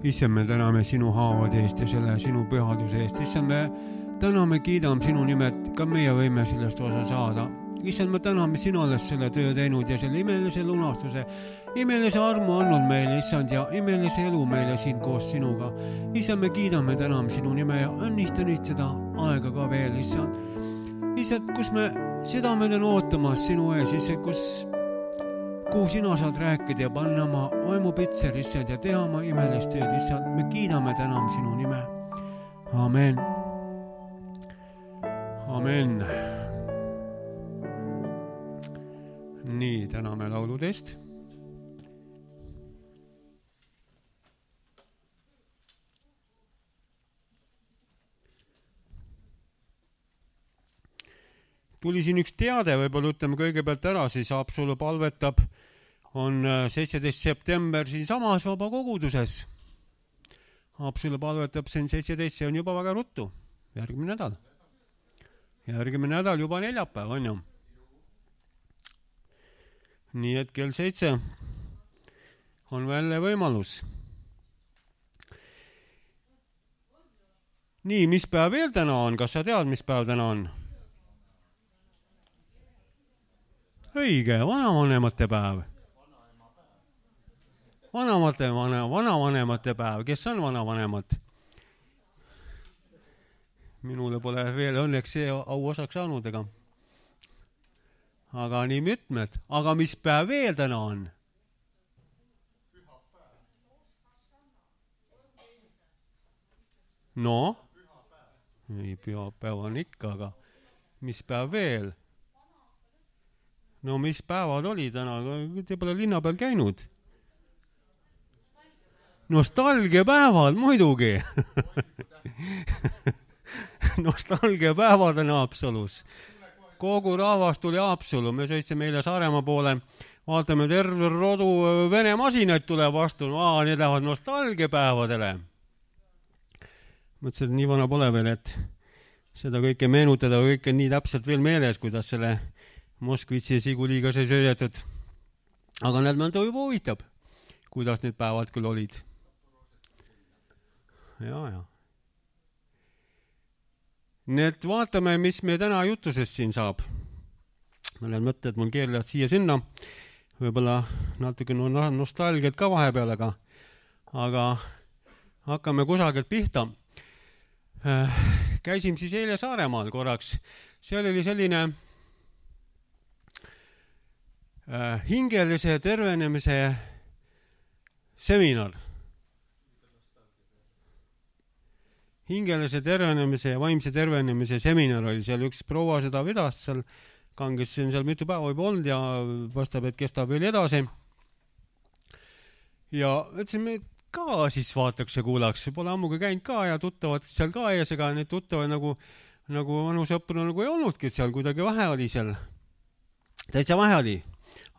issand, me täname sinu haavade eest ja selle sinu pühaduse eest. Issand, me täname, kiidame sinu nimet, ka meie võime sellest osa saada. Issand, me täname, sina oled selle töö teinud ja selle imelise lunastuse, imelise armu andnud meile, issand, ja imelise elu meile siin koos sinuga. Issand, me kiidame, täname sinu nime ja õnnistan seda aega ka veel, issand. Issand, kus me südamed on ootamas sinu ees, issand, kuhu sina saad rääkida ja panna oma vaimupitser, issand, ja teha oma imelist tööd, issand. Me kiidame, täname sinu nime. Amen. Amen. Nii, täname lauludest. Tuli siin üks teade, võib-olla ütleme kõigepealt ära, siis Haapsalu palvetab, on 17. september siin samas vaba koguduses. Haapsalu palvetab siin 17, see on juba väga ruttu, järgmine nädal. Järgmine nädal juba neljapäev on ju. Nii et kell 7 on veel võimalus. Nii, mis päev veel täna on? Kas sa tead, mis päev täna on? Õige, vanavanemate päev. Vanavanemate päev. Kes on vanavanemad? Minule pole veel õnneks see au osaks saanud, aga nii mitmed. Aga mis päev veel täna on? No? Ei, pühapäev on ikka, aga mis päev veel? No mis päevad oli täna? Te pole linna peal käinud. Nostalgiapäevad, muidugi. Nostalgiapäevad on Haapsalus. Kogu rahvas tuli Haapsalu. Me sõitsime eile Saaremaa poole. Vaatame, terve rodu Vene masinaid tuleb vastu. Need lähevad nostalgiapäevadele. Mõtlesin, et nii vana pole veel, et seda kõike meenutada, kõike nii täpselt veel meeles, kuidas selle Moskvitsi ja Siguliga sai söödetud. Aga need mõnda juba huvitav, kuidas need päevad küll olid. Ja. Need vaatame, mis me täna jutusest siin saab. Mõned mõtted mul keerlevad siia sinna. Võib-olla natuke nostalgiat ka vahepeal, aga hakkame kusagilt pihta. Käisin siis eile Saaremaal korraks. Seal oli selline hingelise tervenemise seminar. Hingelise tervenemise ja vaimse tervenemise seminar oli seal. Üks proua seda vedas seal, kanges seal mitu päeva juba olnud ja vastab, et kestab veel edasi. Ja ütlesime, et ka siis vaataks ja kuulaks. Pole ammuga käinud ka ja tuttavad seal ka ees, ega need tuttavad nagu vanusõpru nagu ei olnudki seal, kuidagi vähe oli seal. Täitsa vähe oli.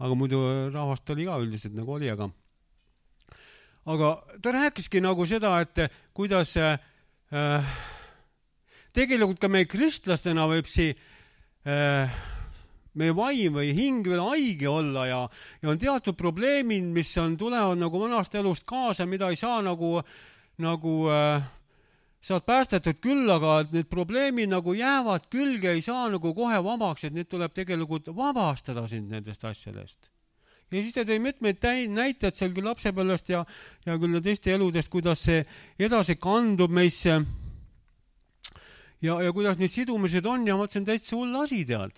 Aga muidu rahvast oli ka üldiselt nagu oli, aga ta rääkiski nagu seda, et kuidas tegelikult ka meie kristlastena võib meie vaim või hing veel haige olla ja on teatud probleemid, mis tulevad nagu vanast elust kaasa, mida ei saa nagu saad päästetud küll, aga need probleemid nagu jäävad külge, ei saa nagu kohe vabaks, et need tuleb tegelikult vabastada sind nendest asjadest. Ja siis ta tõi mitmeid näitajad seal küll lapsepõlvest ja küll teiste eludest, kuidas see edasi kandub meisse ja kuidas need sidumised on ja mõtlesin, täitsa hull asi tead.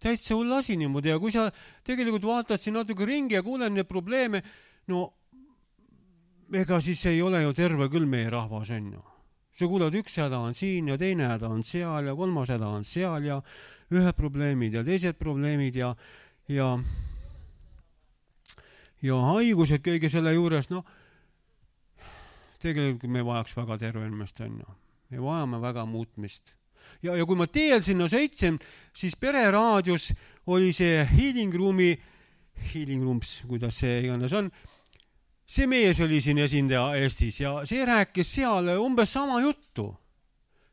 Täitsa hull asi niimoodi ja kui sa tegelikult vaatad siin natuke ringi ja kuuled neid probleeme, no ega siis ei ole ju terve küll meie rahvas on ju. Sa kuuled, üks häda on siin ja teine häda on seal ja kolmas häda on seal ja ühed probleemid ja teised probleemid ja haigused kõige selle juures, no tegelikult me vajaks väga tervenemist on ju. Me vajame väga muutmist. Ja kui ma teel sinna sõitsin, siis Pereraadios oli see Healing Rooms, kuidas see iganes on, see mees oli siin esindaja Eestis ja see rääkis seal umbes sama juttu.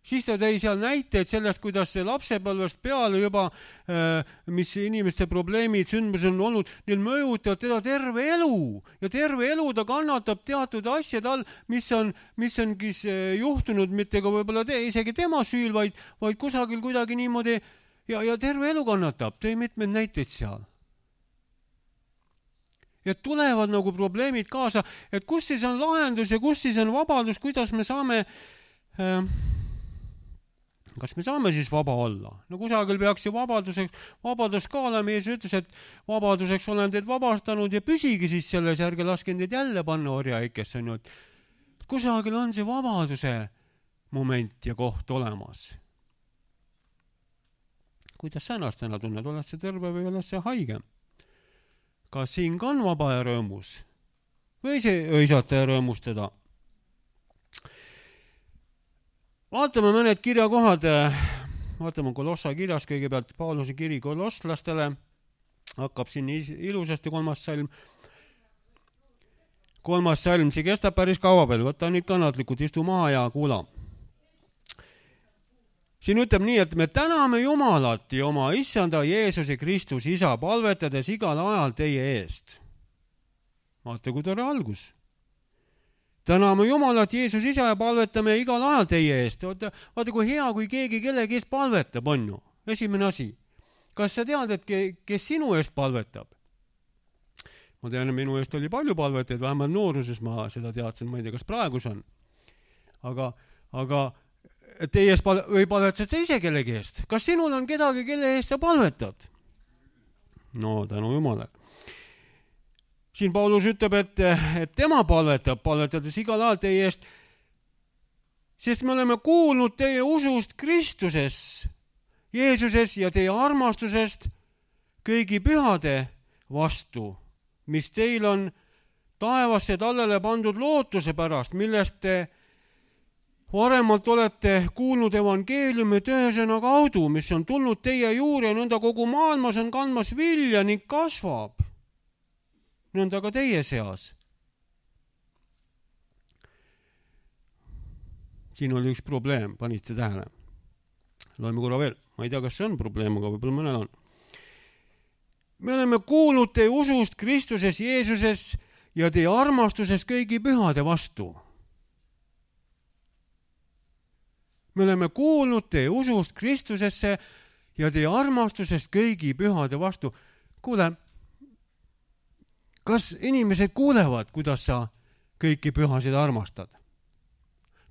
Siis ta tõi seal näiteid sellest, kuidas see lapsepõlvest peale juba, mis inimeste probleemid, sündmused on olnud, neil mõjutavad teda terve elu. Ja terve elu ta kannatab teatud asjad all, mis ongi juhtunud, mitte ka võib-olla isegi tema süül, vaid kusagil kuidagi niimoodi ja terve elu kannatab. Tõi mitmed näiteid seal. Ja tulevad nagu probleemid kaasa, et kus siis on lahendus ja kus siis on vabadus, kuidas me saame... Kas me saame siis vaba olla? No kusagil peaks ju vabadus ka olema. Jeesus ütles, et vabaduseks olen teid vabastanud ja püsigi siis selles, ärge laske teid jälle panna orjaikesse. Kusagil on see vabaduse moment ja koht olemas. Kuidas sa ennast täna tunned? Oled see terve või oled see haige? Kas siin ka on vaba ja rõõmus? Või see õisata ja rõõmustada? Vaatame mõned kirjakohad, vaatame Kolossa kirjas kõigepealt Pauluse kiri kolosslastele, hakkab siin ilusasti 3. salm. 3. salm, see kestab päris kaua veel, võta nüüd kannatlikult, istu maha ja kuula. Siin ütleb nii, et me täname Jumalat ja oma issanda Jeesuse Kristus isa, palvetades igal ajal teie eest. Vaata, kui tore algus. Täname Jumalat, Jeesus isa ja palvetame igal ajal teie eest. Vaata, kui hea, kui keegi kellegi eest palvetab, on ju. Esimene asi. Kas sa tead, et kes sinu eest palvetab? Ma tean, et minu eest oli palju palvetajaid, vähemalt nooruses ma seda teadsin, ma ei tea, kas praegus on. Aga teie eest või palvetad sa ise kellegi eest? Kas sinul on kedagi, kelle eest sa palvetad? No, tänu Jumalale. Siin Paulus ütleb, et tema palvetades igal ajal teie eest, sest me oleme kuulnud teie usust Kristuses, Jeesuses ja teie armastusest kõigi pühade vastu, mis teil on taevasse tallele pandud lootuse pärast, millest te varemalt olete kuulnud evangeeliumi töösõna kaudu, mis on tulnud teie juurde ja nõnda kogu maailmas on kandmas vilja ning kasvab. Nõnda ka teie seas. Siin oli üks probleem, panite tähele. Loeme korra veel. Ma ei tea, kas see on probleem, aga võib-olla mõnel on. Me oleme kuulnud teie usust Kristuses, Jeesuses ja teie armastuses kõigi pühade vastu. Me oleme kuulnud teie usust Kristusesse ja teie armastusest kõigi pühade vastu. Kuule, kas inimesed kuulevad, kuidas sa kõiki pühasid armastad?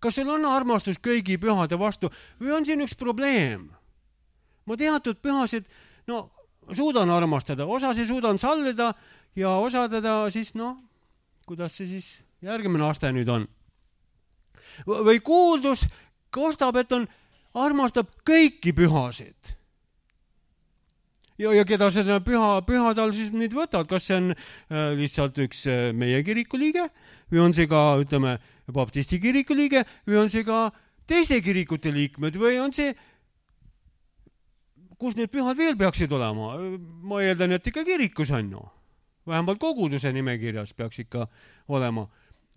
Kas sul on armastus kõigi pühade vastu või on siin üks probleem? Ma teatud pühasid, suudan armastada, osasid suudan sallida ja osadada siis, kuidas see siis järgmine aste nüüd on? Või kuuldus kostab, et armastab kõiki pühasid. Ja keda seda pühad all siis nüüd võtad, kas see on lihtsalt üks meie kiriku liige või on see ka, ütleme, baptisti kiriku liige või on see ka teiste kirikute liikmed või on see, kus need pühad veel peaksid olema? Ma eeldan, et ikka kirikus on ju. Vähemalt koguduse nimekirjas peaks ikka olema.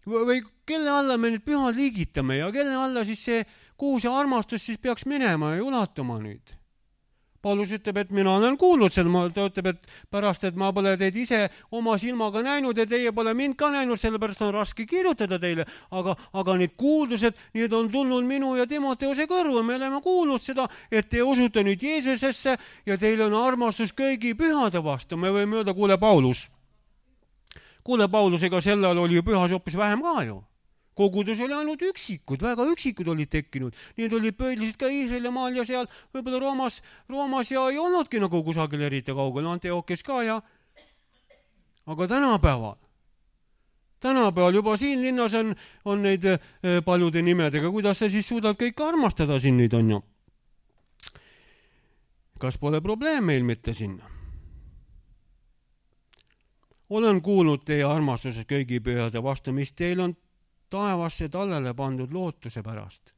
Või kelle alla me need pühad liigitame ja kelle alla siis see kuus ja armastus siis peaks minema ja ulatuma nüüd? Paulus ütleb, et mina olen kuulnud seda, ta ütleb, et pärast, et ma pole teid ise oma silmaga näinud ja teie pole mind ka näinud, sellepärast on raske kirjutada teile, aga need kuuldused, need on tulnud minu ja Timoteuse kõrvu, me oleme kuulnud seda, et te usute nüüd Jeesusesse ja teil on armastus kõigi pühade vastu. Me võime öelda, kuule Paulus, ega sellel oli ju pühas hoopis vähem ka ju. Kogudus oli ainult üksikud, väga üksikud olid tekkinud. Need olid pöödlised ka Iisraeli maal ja seal võib-olla Roomas ja ei olnudki nagu kusagil eriti kaugel, Antiochias ka ja. Aga tänapäeval juba siin linnas on neid paljude nimedega, kuidas sa siis suudad kõik armastada siin nüüd on ju. Kas pole probleem meil mitte sinna? Olen kuulnud teie armastuses kõigi pühade vastu, mis teil on taevasse tallele pandud lootuse pärast.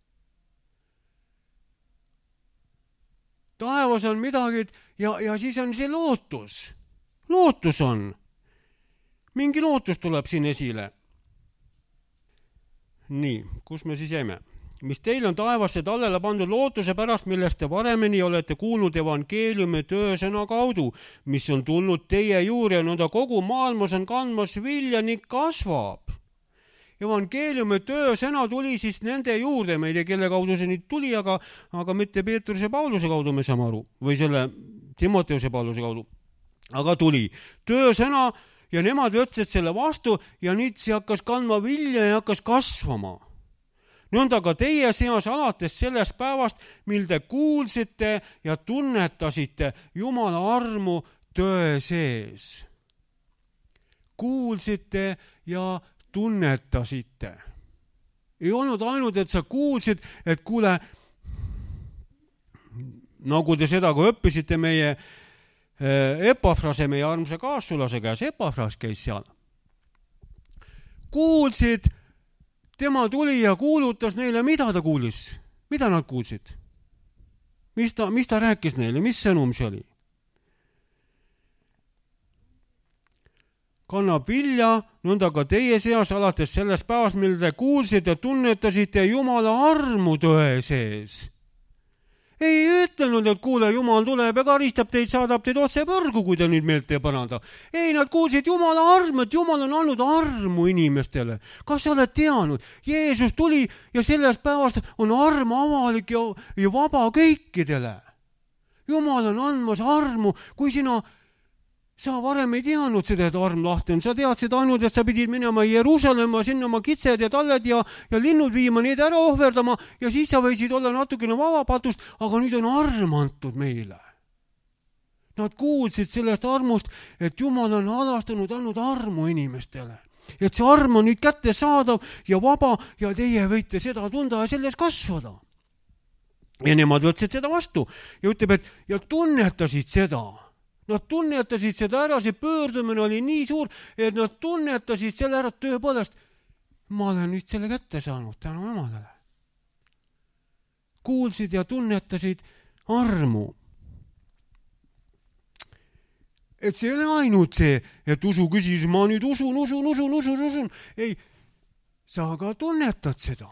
Taevas on midagi ja siis on see lootus. Lootus on. Mingi lootus tuleb siin esile. Nii, kus me siis jäime? mis teil on taevasse tallele pandud lootuse pärast, millest te varemini olete kuulnud evangeeliumi töösõna kaudu, mis on tulnud teie juurde ja nõnda kogu maailmas on kandmas vilja ning kasvab. Evangeeliumi töösõna tuli siis nende juurde, me ei tea, kelle kaudu see nüüd tuli, aga mitte Peetruse Pauluse kaudu me saame aru, või selle Timoteuse Pauluse kaudu, aga tuli töösõna ja nemad võtsid selle vastu ja nüüd see hakkas kandma vilja ja hakkas kasvama. Nõnda ka teie seas alates sellest päevast, mil te kuulsite ja tunnetasite Jumala armu tõe sees. Kuulsite ja tunnetasite. Ei olnud ainult, et sa kuulsid, et kuule, nagu te seda, kui õppisite meie Epafrase, meie armsa kaassulase käes, Epafras käis seal. Kuulsid, tema tuli ja kuulutas neile, mida ta kuulis? Mida nad kuulsid? Mis ta rääkis neile? Mis sõnum see oli? Kannab vilja, nõnda ka teie seas alates sellest päevast, mil te kuulsite ja tunnetasite Jumala armu tõe sees. Ei ütlenud, et kuule, Jumal tuleb ja karistab teid, saadab teid otse põrgu, kui te nüüd meelt ei paranda. Ei, nad kuulsid Jumala armu, et Jumal on andnud armu inimestele. Kas sa oled teadnud? Jeesus tuli ja sellest päevast on arm avalik ja vaba kõikidele. Jumal on andmas armu, kui sa varem ei teadnud seda, et arm lahti on. Sa teadsid ainult, et sa pidid minema Jeruusalemma, sinna oma kitsed ja talled ja linnud viima, need ära ohverdama ja siis sa võisid olla natukene vabapatust, aga nüüd on arm antud meile. Nad kuulsid sellest armust, et Jumal on halastanud, andnud armu inimestele. Et see arm on nüüd kätte saadav ja vaba ja teie võite seda tunda ja selles kasvada. Ja nemad võtsid seda vastu ja ütleb, et ja tunnetasid seda. Nad tunnetasid seda ära, see pöördumine oli nii suur, et nad tunnetasid selle ära tõepoolest. Ma olen nüüd selle kätte saanud tänu Jumalale. Kuulsid ja tunnetasid armu. Et see ei ole ainult see, et usu küsis, ma nüüd usun. Ei, sa ka tunnetad seda.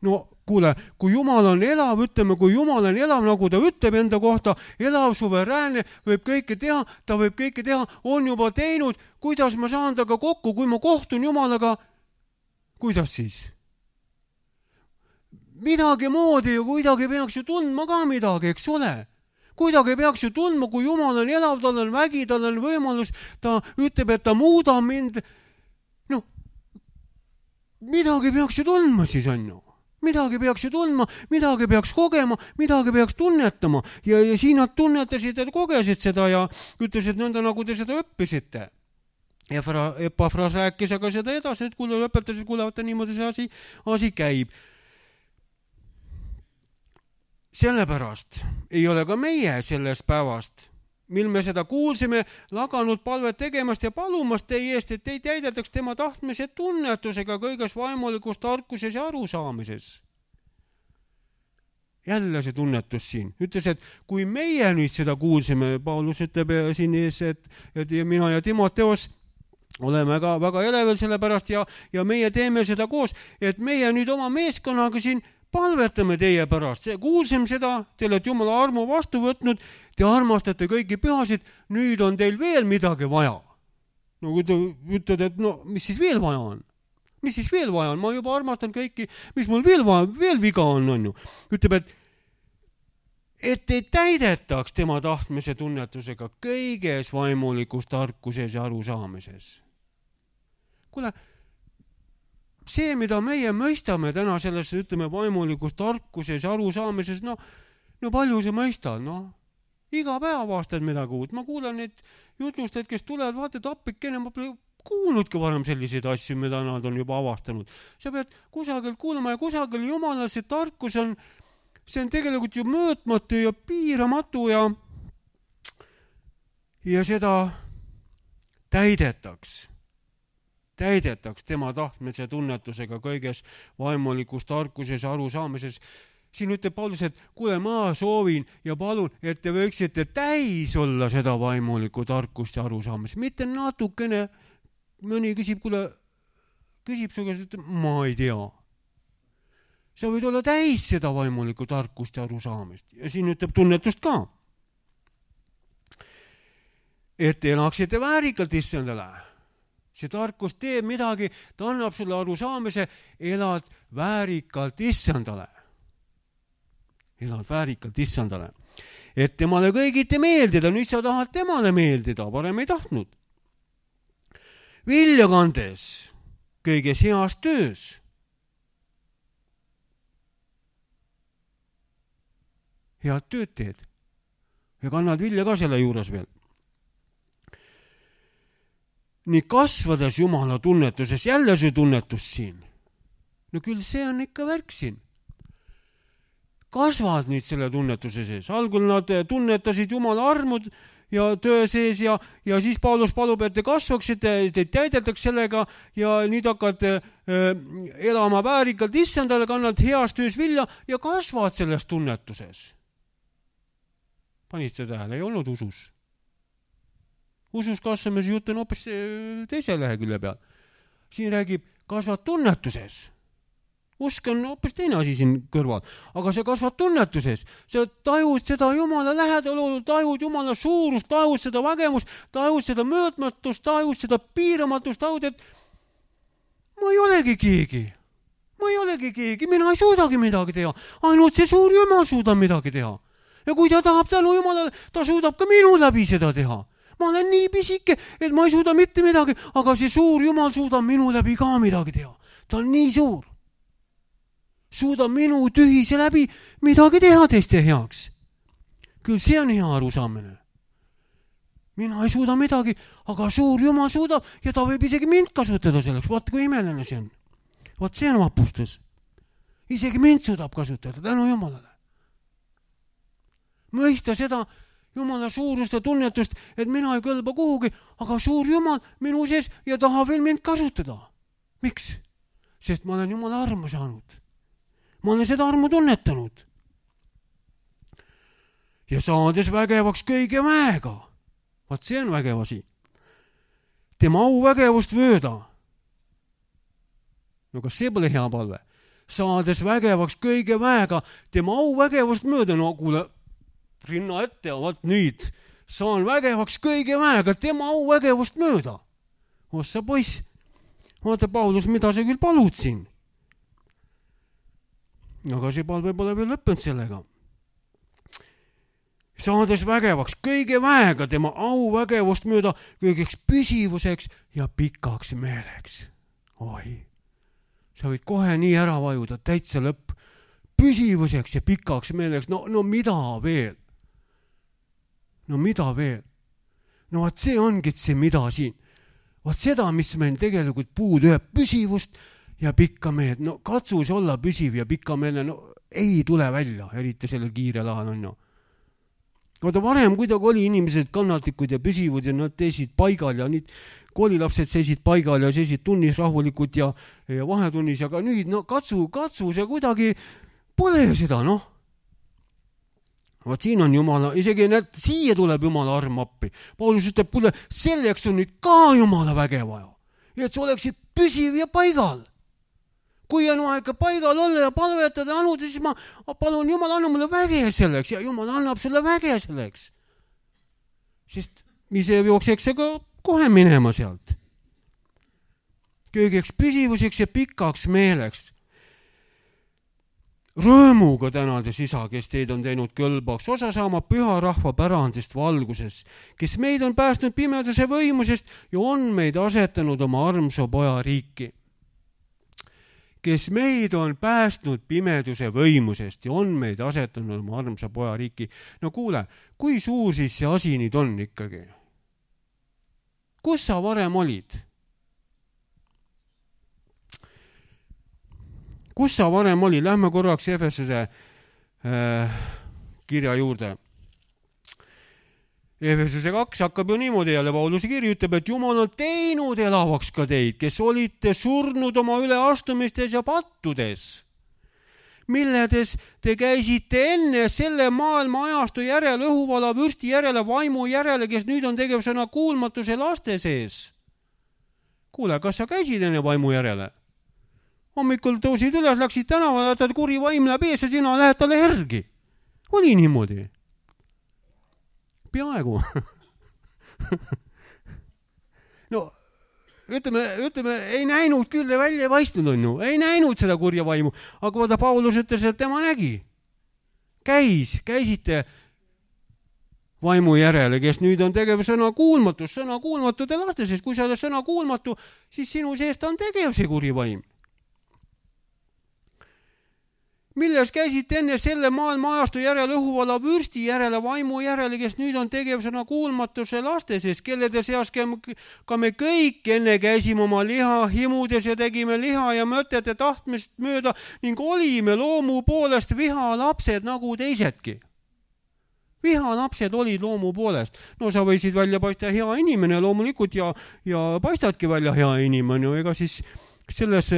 No kuule, kui Jumal on elav, ütleme, kui Jumal on elav, nagu ta ütleb enda kohta, elav, suveräänne, võib kõike teha, ta võib kõike teha, on juba teinud, kuidas ma saan taga kokku, kui ma kohtun Jumalaga, kuidas siis? Midagi moodi ja kuidagi peaks ju tundma ka midagi, eks ole? Kuidagi peaks ju tundma, kui Jumal on elav, tal on vägi, tal on võimalus, ta ütleb, et ta muudab mind. No, midagi peaks ju tundma siis on ju. Midagi peaks ju tundma, midagi peaks kogema, midagi peaks tunnetama. Ja siin nad tunnetasid ja kogesid seda ja ütlesid nõnda, nagu te seda õppisite. Epafras rääkis aga seda edasi, et kuule lõpetasid, kuulevate niimoodi see asi käib. Sellepärast ei ole ka meie sellest päevast, mil me seda kuulsime, laganud palvet tegemast ja palumast teie eest, et teid täidetaks tema tahtmise tunnetusega kõiges vaimulikus tarkuses ja arusaamises. Jälle see tunnetus siin. Ütles, et kui meie nüüd seda kuulsime, Paulus ütleb siin ees, et mina ja Timoteos oleme ka väga elevel selle pärast ja meie teeme seda koos, et meie nüüd oma meeskonnaga siin palvetame teie pärast. Kuulsime seda, te olete Jumala armu vastu võtnud, te armastate kõiki pühasid, nüüd on teil veel midagi vaja. No kui te ütled, et no mis siis veel vaja on? Mis siis veel vaja on? Ma juba armastan kõiki, mis mul veel viga on ju. Ütleb, et te täidetaks tema tahtmise tunnetusega kõiges vaimulikus tarkuses ja arusaamises. Kuule, see, mida meie mõistame täna selles, ütleme, vaimulikus tarkuses ja arusaamises, no palju see mõistad, Iga päev aastad midagi uut. Ma kuulan neid jutlustajad, kes tulevad, vaatad appikene, ma pole kuulnudki varem selliseid asju, mida nad on juba avastanud. Sa pead kusagil kuulama ja kusagil Jumala see tarkus on, see on tegelikult ju mõõtmatu ja piiramatu ja seda täidetaks tema tahtmise tunnetusega kõiges vaimulikus tarkuses ja arusaamises. Siin ütleb Paulus, et kuule, ma soovin ja palun, et te võiksite täis olla seda vaimulikku tarkust ja arusaamist. Mitte natukene, mõni küsib, kuule, küsib su käest, et ma ei tea. sa võid olla täis seda vaimulikku tarkust ja arusaamist. Ja siin ütleb tunnetust ka. Et elaksite väärikalt issandale. See tarkus teeb midagi, ta annab sulle arusaamise, elad väärikalt issandale. Elad väärikalt issandale. Et temale kõigiti meeldida, nüüd sa tahad temale meeldida, varem ei tahtnud. Vilja kandes, kõiges heas töös. Head tööd teed ja kannad vilja ka selle juures veel. Nii kasvades Jumala tunnetuses, jälle see tunnetus siin. No küll see on ikka värk siin. Kasvad nüüd selle tunnetuse sees. Algul nad tunnetasid Jumala armud ja töö sees ja siis Paulus palub, et te kasvaksite, teid täidetaks sellega ja nüüd hakkad elama väärikalt issandale, kannad heas töös vilja ja kasvad selles tunnetuses. Panid seda tähele, ei olnud usus. Usus kasvamise jutt on hoopis teise lehekülje peal. Siin räägib, kasvad tunnetuses. Usk on hoopis teine asi siin kõrval. Aga see kasvad tunnetuses. Sa tajud seda Jumala lähedal, tajud Jumala suurust, tajud seda vägevust, tajud seda möödmatust, tajud seda piiramatust, tajud, et ma ei olegi keegi. Ma ei olegi keegi, mina ei suudagi midagi teha. Ainult see suur Jumal suudab midagi teha. Ja kui ta tahab tänu Jumalale, ta suudab ka minu läbi seda teha. Ma olen nii pisike, et ma ei suuda mitte midagi, aga see suur Jumal suudab minu läbi ka midagi teha. Ta on nii suur. Suudab minu tühise läbi midagi teha teiste heaks. Küll see on hea arusaamine. Mina ei suuda midagi, aga suur Jumal suudab ja ta võib isegi mind kasutada selleks. Vaat kui imeline see on. Vaat see on vapustus. Isegi mind suudab kasutada tänu Jumalale. Mõista seda Jumala suurust ja tunnetust, et mina ei kõlba kuhugi, aga suur Jumal minu sees ja tahab veel mind kasutada. Miks? Sest ma olen Jumala armu saanud. Ma olen seda armu tunnetanud. Ja saades vägevaks kõige väega. Vaat see on vägev asi. Tema au vägevust vööda. No kas see pole hea palve? Saades vägevaks kõige väega, tema au vägevust mööda. No kuule, rinna ette ja vaat nüüd saan vägevaks kõige väega, tema au vägevust mööda. Ossa poiss, vaata Paulus, mida sa küll palud siin. Aga see palve pole veel lõppenud sellega. Saades vägevaks kõige väega, tema au vägevust mööda kõigeks püsivuseks ja pikaks meeleks. Oi, sa võid kohe nii ära vajuda, täitsa lõpp. Püsivuseks ja pikaks meeleks, no mida veel? No mida veel? No vaat see ongi see mida siin. Vaat seda, mis meil tegelikult puudu ühe püsivust ja pikka meelt. No katsus olla püsiv ja pikka meele, no ei tule välja, eriti selle kiire lahal on. Vaata varem kuidagi oli inimesed kannatlikud ja püsivud ja nad teisid paigal ja nüüd koolilapsed seisid paigal ja seisid tunnis rahulikud ja vahetunnis, aga nüüd katsu see kuidagi pole seda, Vaat siin on Jumala, isegi siia tuleb Jumala arm appi. Paulus ütleb, kuule, selleks on nüüd ka Jumala väge vaja. Ja et sa oleksid püsiv ja paigal. Kui on aega paigal olla ja palvetada ja anuda, siis ma palun Jumal, anna mulle väge selleks ja Jumal annab sulle väge selleks. Sest ise jookseks ka kohe minema sealt. Kõigeks püsivuseks ja pikaks meeleks. Rõõmuga tänades isa, kes teid on teinud kõlbaks, osa saama püha rahva pärandist valguses, kes meid on päästnud pimeduse võimusest ja on meid asetanud oma armsa poja riiki. Kes meid on päästnud pimeduse võimusest ja on meid asetanud oma armsa poja riiki. No kuule, kui suur siis see asi nüüd on ikkagi? Kus sa varem olid? Kus sa varem oli? Lähme korraks Efesuse kirja juurde. Efesuse 2 hakkab ju niimoodi jälle, Pauluse kiri ütleb, et Jumal on teinud elavaks ka teid, kes olite surnud oma üleastumistes ja pattudes, milledes te käisite enne selle maailma ajastu järele, õhuvala vürsti järele, vaimu järele, kes nüüd on tegevsõna kuulmatuse laste sees. Kuule, kas sa käisid enne vaimu järele? hommikul tõusid üles, läksid tänava, ta kuri vaim läheb ees ja sina lähed talle järgi. Oli niimoodi. Peaaegu. No, ütleme, ei näinud küll välja paistnud on ju, ei näinud seda kurja vaimu, aga vaata Paulus ütles, et tema nägi. Käisite vaimu järele, kes nüüd on tegev sõna kuulmatute laste, sest kui sa oled sõna kuulmatu, siis sinu seest on tegev see kuri vaim. Milles käisite enne selle maailma ajastu järele õhuvala vürsti järele, vaimu järele, kes nüüd on tegev sõna kuulmatuse laste sees, kellede seas ka me kõik enne käisime oma liha himudes ja tegime liha ja mõtete tahtmist mööda ning olime loomu poolest vihalapsed nagu teisedki. Vihalapsed olid loomu poolest. No sa võisid välja paista hea inimene loomulikult ja paistadki välja hea inimene, ega siis selles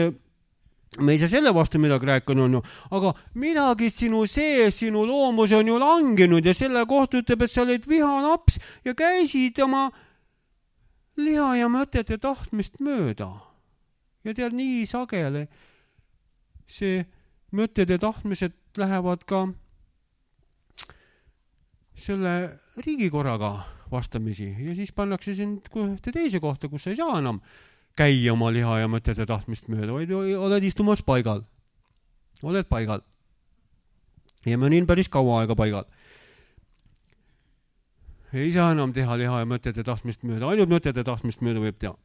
me ei saa selle vastu midagi rääkida on ju, aga midagi sinu sees, sinu loomus on ju langenud ja selle kohta ütleb, et sa olid vihalaps ja käisid oma liha ja mõtete tahtmist mööda. Ja tead, nii sageli see mõtted ja tahtmised lähevad ka selle riigikorraga vastamisi ja siis pannakse sind teise kohta, kus sa ei saa enam käia oma liha ja mõtete tahtmist mööda, vaid oled istumas paigal. Oled paigal. Ja ma olin päris kaua aega paigal. Ei saa enam teha liha ja mõtete tahtmist mööda, ainult mõtete tahtmist mööda võib teha.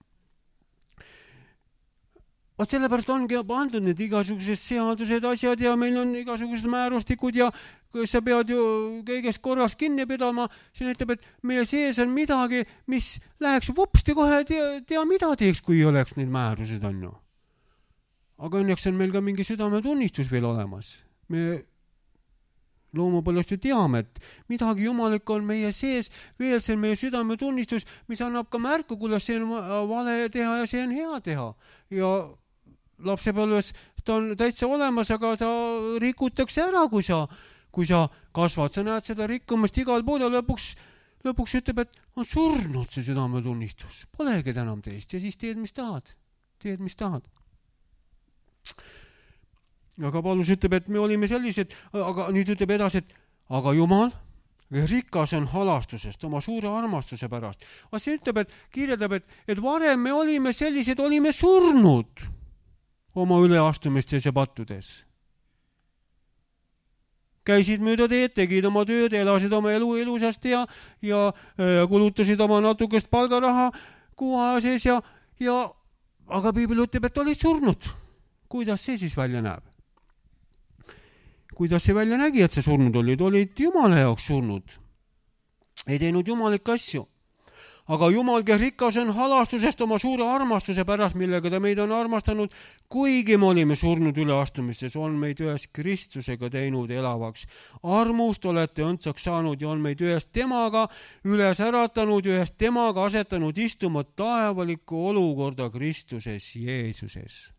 Vaat sellepärast ongi pandud need igasugused seadused, asjad ja meil on igasugused määrustikud ja sa pead ju kõigest korrast kinni pidama, see näitab, et meie sees on midagi, mis läheks vupsti kohe tea mida teeks, kui oleks need määrused on ju. Aga õnneks on meil ka mingi südametunnistus veel olemas. Me loomupõlvest ju teame, et midagi jumalik on meie sees, veel see on meie südametunnistus, mis annab ka märku, kuidas see on vale teha ja see on hea teha. Ja lapsepõlves ta on täitsa olemas, aga ta rikutakse ära, kui sa kasvad. Sa näed seda rikkumast igal pool ja lõpuks ütleb, et on surnud see südametunnistus. Polegi enam teist ja siis teed, mis tahad. Aga Paulus ütleb, et me olime sellised, aga nüüd ütleb edasi, et aga Jumal rikas on halastusest oma suure armastuse pärast. See ütleb, et kirjeldab, et varem me olime sellised, olime surnud oma üleastumistes ja pattudes. Käisid mööda teed, tegid oma tööd, elasid oma elu ilusasti ja kulutasid oma natukest palgaraha kuu aja sees aga Piibel ütleb, et olid surnud. Kuidas see siis välja näeb? Kuidas see välja nägi, et see surnud olid Jumala jaoks surnud. Ei teinud jumalikke asju. Aga Jumal, kes rikas on halastusest oma suure armastuse pärast, millega ta meid on armastanud, kuigi me olime surnud üleastumistes, on meid ühes Kristusega teinud elavaks. Armust olete õndsaks saanud ja on meid ühest temaga üles äratanud, ühest temaga asetanud istuma taevalikku olukorda Kristuses Jeesuses.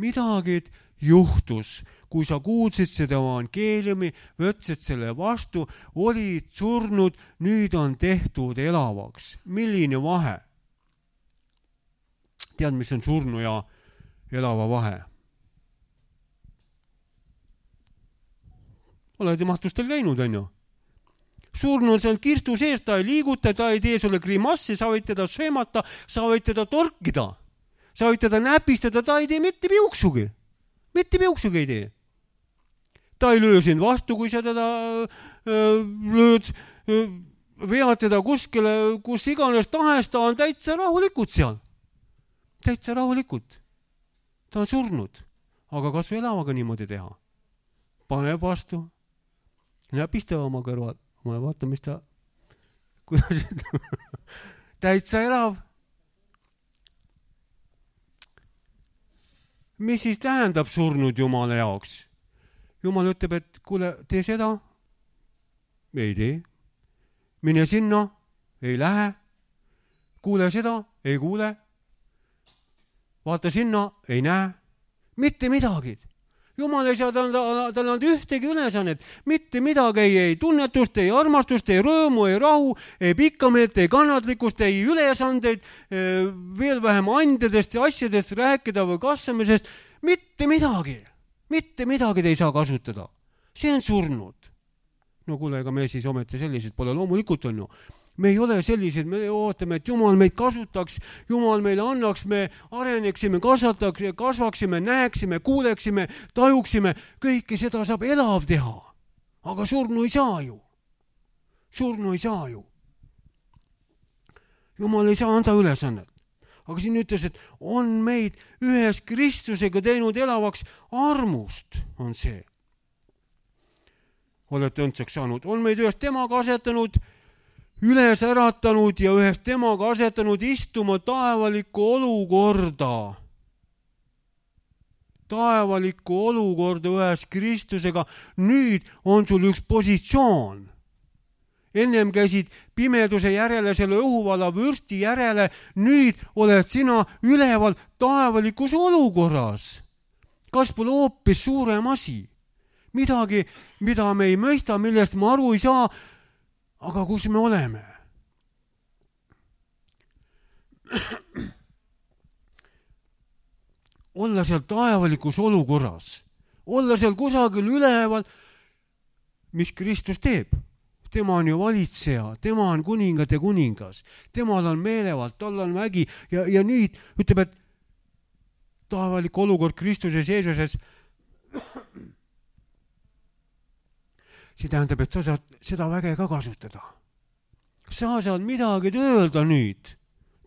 Midagi juhtus, kui sa kuulsid seda evangeeliumi, võtsid selle vastu, olid surnud, nüüd on tehtud elavaks. Milline vahe? Tead, mis on surnu ja elava vahe? Oled mahtustel käinud, on ju? Surnu on seal kirstu sees, ta ei liiguta, ta ei tee sulle grimassi, sa võid teda söömata, sa võid teda torkida, sa võid teda näpistada, ta ei tee mitte piuksugi. Mitte piuksugi ei tee. Ta ei löö sind vastu, kui sa teda lööd, vead teda kuskile, kus iganes tahes, ta on täitsa rahulikult seal. Täitsa rahulikult. Ta on surnud. Aga kas su elavaga niimoodi teha? Paneb vastu. Näpista oma kõrval. Ma vaata, mis ta... Täitsa elav. Mis siis tähendab surnud Jumala jaoks? Jumal ütleb, et kuule, tee seda. Ei tee. Mine sinna. Ei lähe. Kuule seda. Ei kuule. Vaata sinna. Ei näe. Mitte midagi. Jumal ei saa talle anda ühtegi ülesannet, mitte midagi, ei tunnetust, ei armastust, ei rõõmu, ei rahu, ei pikkameelt, ei kannatlikkust, ei ülesandeid, veel vähem andedest ja asjadest rääkida või kasvamisest, mitte midagi te ei saa kasutada. See on surnud. No kuule, ega me siis ometi sellised pole, loomulikult on ju. Me ei ole sellised, me ootame, et Jumal meid kasutaks, Jumal meile annaks, me areneksime, kasvaksime, näeksime, kuuleksime, tajuksime, kõike seda saab elav teha. Aga surnu ei saa ju. Jumal ei saa anda ülesannet. Aga siin ütles, et on meid ühes Kristusega teinud elavaks armust, on see. Olete õndsaks saanud, on meid ühes temaga asetanud, üles äratanud ja ühes temaga asetanud istuma taevalikku olukorda ühes Kristusega. Nüüd on sul üks positsioon. Ennem käisid pimeduse järele, selle õhuvala vürsti järele, nüüd oled sina üleval taevalikus olukorras. Kas pole hoopis suurem asi? Midagi, mida me ei mõista, millest me aru ei saa, aga kus me oleme? Olla seal taevalikus olukorras, olla seal kusagil üleval, mis Kristus teeb. Tema on ju valitseja, tema on kuningate kuningas, temal on meelevald, tal on vägi ja nüüd ütleb, et taevalik olukord Kristuses Jeesuses, see tähendab, et sa saad seda väge ka kasutada. Sa saad midagi öelda nüüd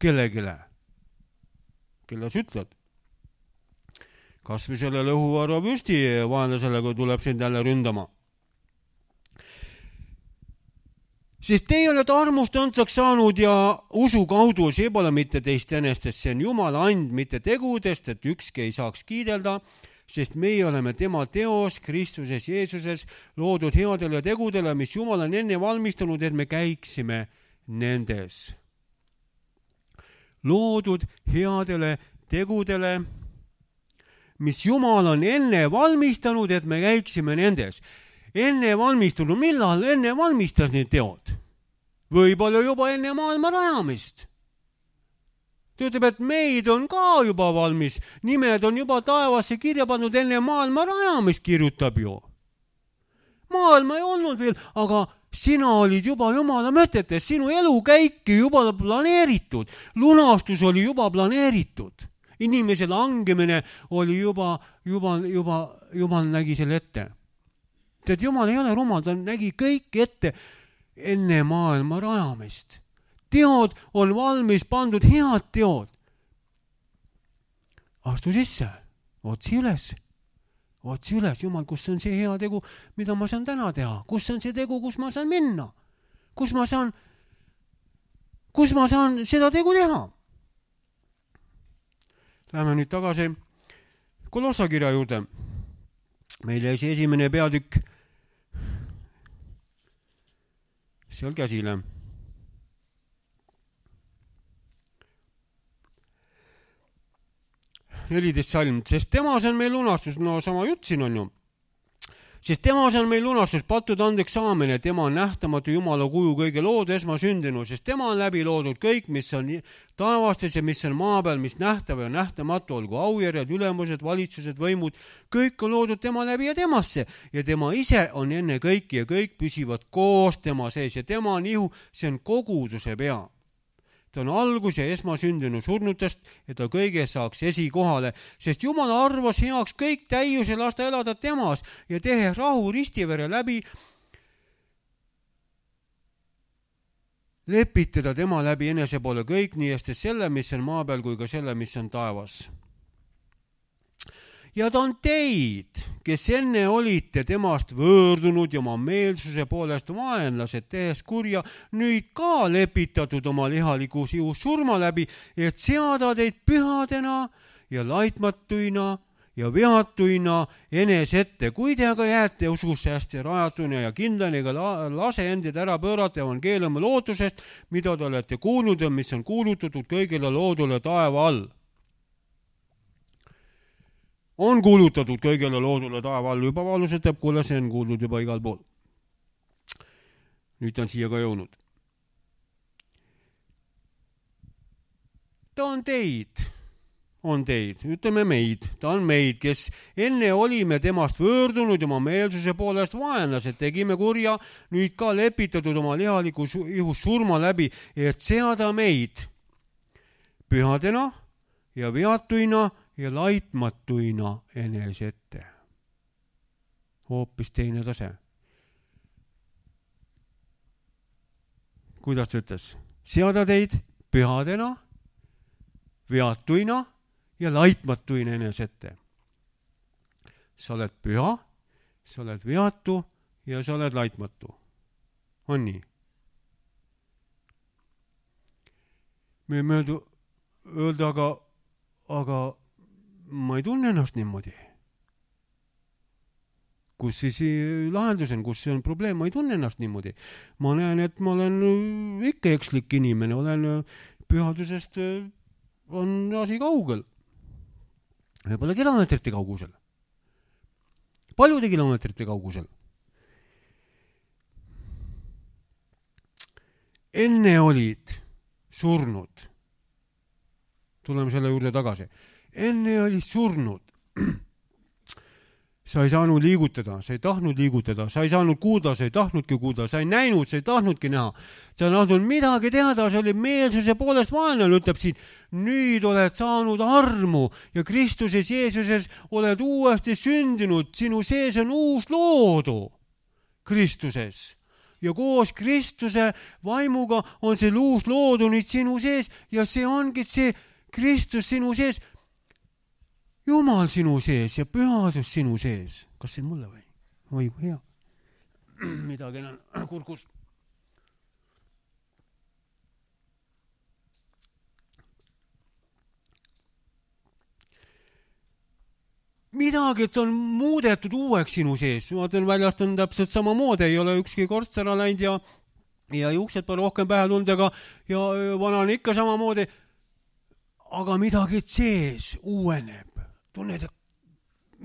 kellegile. Kelle sa ütled? Kas või sellele õhuvarva vürsti vaenlasele, kui tuleb sind jälle ründama. Sest teie olete armust õndsaks saanud ja usu kaudu, see pole mitte teist enestest, see on Jumala and, mitte tegudest, et ükski ei saaks kiidelda, sest meie oleme tema teos Kristuses Jeesuses loodud headele tegudele, mis Jumal on enne valmistanud, et me käiksime nendes. Loodud headele tegudele, mis Jumal on enne valmistanud, et me käiksime nendes. Enne valmistunud, millal enne valmistas need teod? Võib-olla juba enne maailma rajamist. Ta ütleb, et meid on ka juba valmis, nimed on juba taevasse kirja pannud, enne maailma rajamist kirjutab ju. Maailma ei olnud veel, aga sina olid juba Jumala mõtetes, sinu elukäiki juba planeeritud, lunastus oli juba planeeritud. Inimese langemine oli Jumal nägi selle ette. Et Jumal ei ole rumal, ta nägi kõik ette enne maailma rajamist. Teod on valmis pandud, head teod. Astu sisse, otsi üles, Jumal, kus on see hea tegu, mida ma saan täna teha? Kus on see tegu, kus ma saan minna? Kus ma saan seda tegu teha? Läheme nüüd tagasi Kolossa kirja juurde. Meil jäi see esimene peatükk seal käsile. Neliteist salm, sest temas on meil lunastus, no sama jutt siin on ju. Sest temas on meil lunastus, pattude andeks saamine, tema on nähtamatu Jumala kuju kõige loodu esmasündinu, sest tema on läbi loodud kõik, mis on taevastes ja mis on maa peal, mis nähtav ja nähtamatu, olgu aujärjed, ülemused, valitsused, võimud, kõik on loodud tema läbi ja temasse ja tema ise on enne kõiki ja kõik püsivad koos tema sees ja tema on ihu, see on koguduse pea. Ta on algus ja esmasündinu surnutest, et ta kõige saaks esikohale, sest Jumal arvas heaks kõik täiuse lasta elada temas ja tehe rahu ristivere läbi, lepitada tema läbi enese poole kõik, nii estes selle, mis on maa peal, kui ka selle, mis on taevas. Ja ta on teid, kes enne olite temast võõrdunud ja oma meelsuse poolest vaenlased tehes kurja, nüüd ka lepitatud oma lihalikus ihus surma läbi, et seada teid pühadena ja laitmatuina ja vihatuina enese ette. Kui te aga jääte ususse hästi rajatuna ja kindlani ega lase endid ära pöörata evangeeliumi lootusest, mida te olete kuulnud ja mis on kuulutatud kõigile loodule taeva all. on kuulutatud kõigele loodule taeva all juba valusetab, kuule, see on kuuldud juba igal pool. Nüüd ta on siia ka jõudnud. Ta on teid, ütleme meid, ta on meid, kes enne olime temast võõrdunud oma meelsuse poolest vaenlased, tegime kurja, nüüd ka lepitatud oma lihaliku ihus surma läbi, et seada meid pühadena ja veatuina ja laitmatuina enese ette. Hoopis teine tase. Kuidas ta ütles? Seada teid pühadena, veatuina ja laitmatuina enese ette. Sa oled püha, sa oled veatu ja sa oled laitmatu. On nii? Me ei möödu öelda, aga ma ei tunne ennast niimoodi. Kus siis lahendus on, kus see on probleem, ma ei tunne ennast niimoodi. Ma näen, et ma olen ikka ekslik inimene, olen pühadusest on asi kaugel. Võib-olla kilomeetrite kaugusel. Paljude kilomeetrite kaugusel. Enne olid surnud. Tuleme selle juurde tagasi. Enne olid surnud. Sa ei saanud liigutada, sa ei tahtnud liigutada, sa ei saanud kuulda, sa ei tahtnudki kuulda, sa ei näinud, sa ei tahtnudki näha. Sa ei tahtnud midagi teada, sa oli meelsuse poolest vaenlane, ütleb siin. Nüüd oled saanud armu ja Kristuses Jeesuses oled uuesti sündinud. Sinu sees on uus loodu Kristuses. Ja koos Kristuse vaimuga on see uus loodu nüüd sinu sees ja see ongi see Kristus sinu sees. Jumal sinu sees ja pühadus sinu sees. Kas see on mulle või? Oi, kui hea. Midagi on kurkus. Midagi, et on muudetud uueks sinu sees. Vaatan, väljast on täpselt sama moodi. Ei ole ükski korts ära läinud ja juuksed pole rohkem pähe tulnud ja vana on ikka sama moodi. Aga midagi sees uueneb. Tunned, et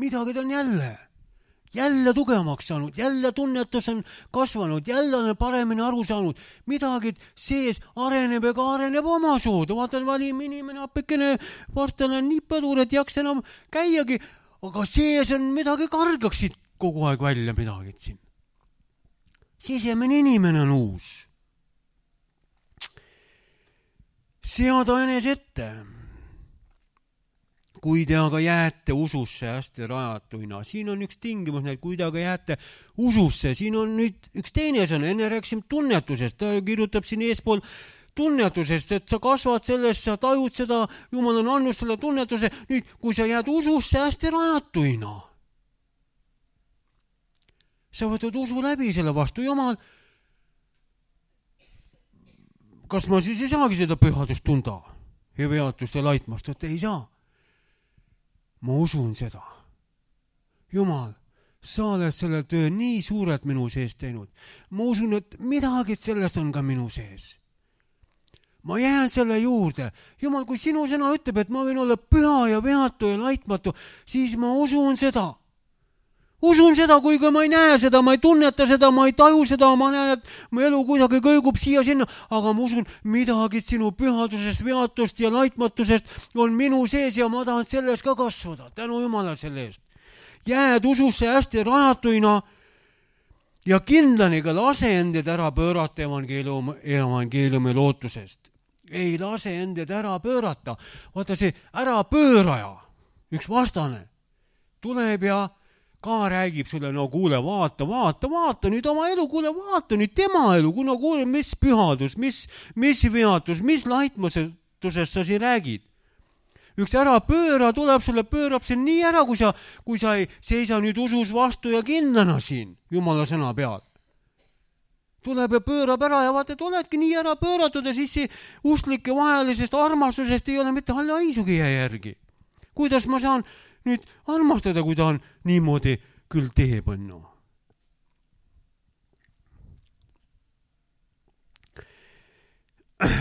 midagi on jälle tugevamaks saanud, jälle tunnetus on kasvanud, jälle on paremini aru saanud, midagi sees areneb ega areneb oma soodu. Vaatan, valim inimene appikene, varstal on nii põdur, et jaks enam käiagi, aga sees on midagi kargaksid kogu aeg välja midagi siin. Sisemine inimene on uus. Seada enese ette. Kui te aga jääte ususse hästi rajatuina, siin on üks tingimus, kui te aga jääte ususse, siin on nüüd üks teine sõna, enne rääksime tunnetusest, ta kirjutab siin eespool tunnetusest, et sa kasvad sellest, sa tajud seda, Jumal on andnud selle tunnetuse, nüüd kui sa jääd ususse hästi rajatuina, sa võtad usu läbi selle vastu, Jumal, kas ma siis ei saagi seda pühadust tunda ja veatust ja laitmast, et ei saa. Ma usun seda. Jumal, sa oled selle töö nii suurelt minu sees teinud. Ma usun, et midagi sellest on ka minu sees. Ma jään selle juurde. Jumal, kui sinu sõna ütleb, et ma võin olla püha ja veatu ja laitmatu, siis ma usun seda. Usun seda, kuigi ma ei näe seda, ma ei tunneta seda, ma ei taju seda, ma näen, et mu elu kuidagi kõigub siia sinna, aga ma usun, midagi sinu pühadusest, veatust ja laitmatusest on minu sees ja ma tahan selles ka kasvada. Tänu Jumalale selle eest. Jääd ususse hästi rajatuina ja kindlaniga lase endid ära pöörata evangeeliumi lootusest. Ei lase endid ära pöörata. Vaata see ära pööraja, üks vastane, tuleb ja ka räägib sulle, no kuule, vaata nüüd oma elu, kuule, vaata nüüd tema elu, kuna kuule, mis pühadus, mis veatus, mis laitmatusest sa siin räägid. Üks ära pööra tuleb sulle, pöörab see nii ära, kui sa ei seisa nüüd usus vastu ja kindlana siin, Jumala sõna peal. Tuleb ja pöörab ära ja vaata, et oledki nii ära pööratud ja siis see usklike vahelisest armastusest ei ole mitte halli haisugi järgi. Kuidas ma saan nüüd armastada, kui ta on niimoodi küll teeb, on.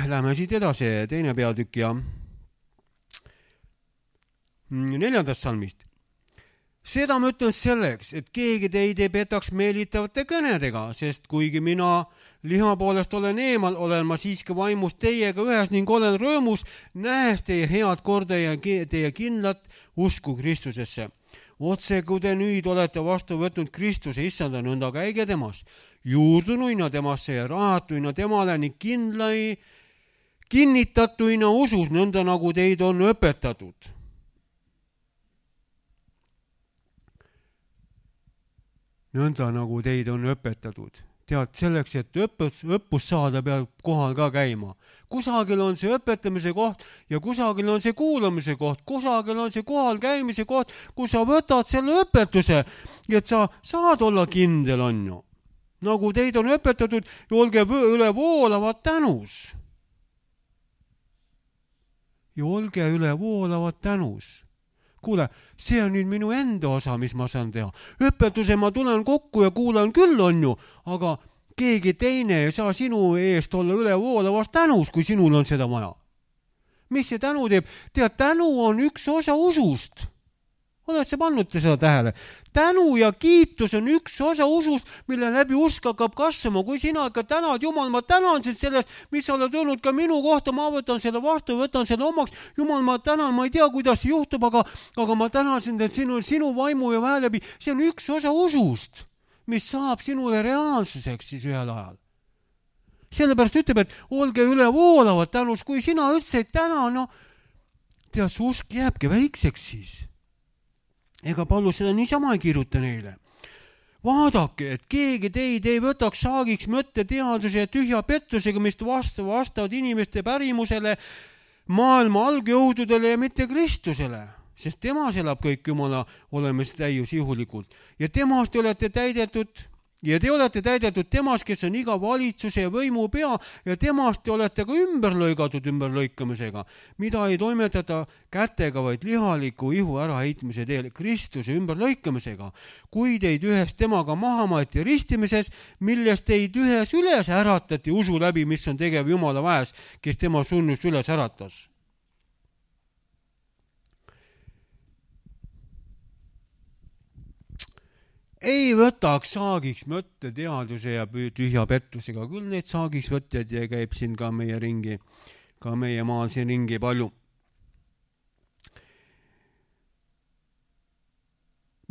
Lähme siit edasi, teine peatükk ja 4. salmist. Seda ma ütlen selleks, et keegi teid ei petaks meelitavate kõnedega, sest kuigi mina liha poolest olen eemal, olen ma siiski vaimus teiega ühes ning olen rõõmus, nähes teie head korda ja teie kindlat usku Kristusesse. Otse kui te nüüd olete vastu võtnud Kristuse issanda, nõnda käige temas, juurdunuina temasse ja rahatuina temale ning kinnitatuina usus, nõnda nagu teid on õpetatud. Nõnda nagu teid on õpetatud. Tead, selleks, et õppust saada, peab kohal ka käima. Kusagil on see õpetamise koht ja kusagil on see kuulamise koht. Kusagil on see kohal käimise koht, kus sa võtad selle õpetuse, et sa saad olla kindel, on ju. Nagu teid on õpetatud, olge üle voolavad tänus. Ja olge üle voolavad tänus. Kuule, see on nüüd minu enda osa, mis ma saan teha. Õpetuse ma tulen kokku ja kuulan küll, on ju, aga keegi teine ei saa sinu eest olla üle voolavast tänus, kui sinul on seda vaja. Mis see tänu teeb? Tead, tänu on üks osa usust. Oled sa pannud seda tähele? Tänu ja kiitus on üks osa usust, mille läbi usk hakkab kasvama. Kui sina ikka tänad, Jumal, ma tänan sind sellest, mis sa oled öelnud ka minu kohta, ma võtan selle vastu, võtan selle omaks. Jumal, ma tänan, ma ei tea, kuidas see juhtub, aga ma tänan sind, et sinu vaimu ja väe läbi, see on üks osa usust, mis saab sinule reaalsuseks siis ühel ajal. Sellepärast ütleb, et olge üle voolavad tänus, kui sina üldse ei täna, no tead, su usk jääbki väikseks siis. Ega Paulus seda niisama ei kirjuta neile. Vaadake, et keegi teid ei võtaks saagiks mõtteteaduse ja tühja pettusega, mis vastavad inimeste pärimusele, maailma algjõududele ja mitte Kristusele, sest temas elab kõik Jumala olemas täiusjuhulikult. Ja temast te olete täidetud temas, kes on iga valitsuse ja võimu pea ja temast te olete ka ümberlõigatud ümberlõikamisega, mida ei toimetata kätega, vaid lihaliku ihu äraheitmise teel Kristuse ümberlõikamisega, kui teid ühes temaga maha maeti ristimises, millest teid ühes üles äratati usu läbi, mis on tegev Jumala väes, kes tema sunnust üles äratas. Ei võtaks saagiks mõtteteaduse ja tühja pettusega. Küll neid saagiks võtted ja käib siin ka meie ringi, ka meie maal siin ringi palju.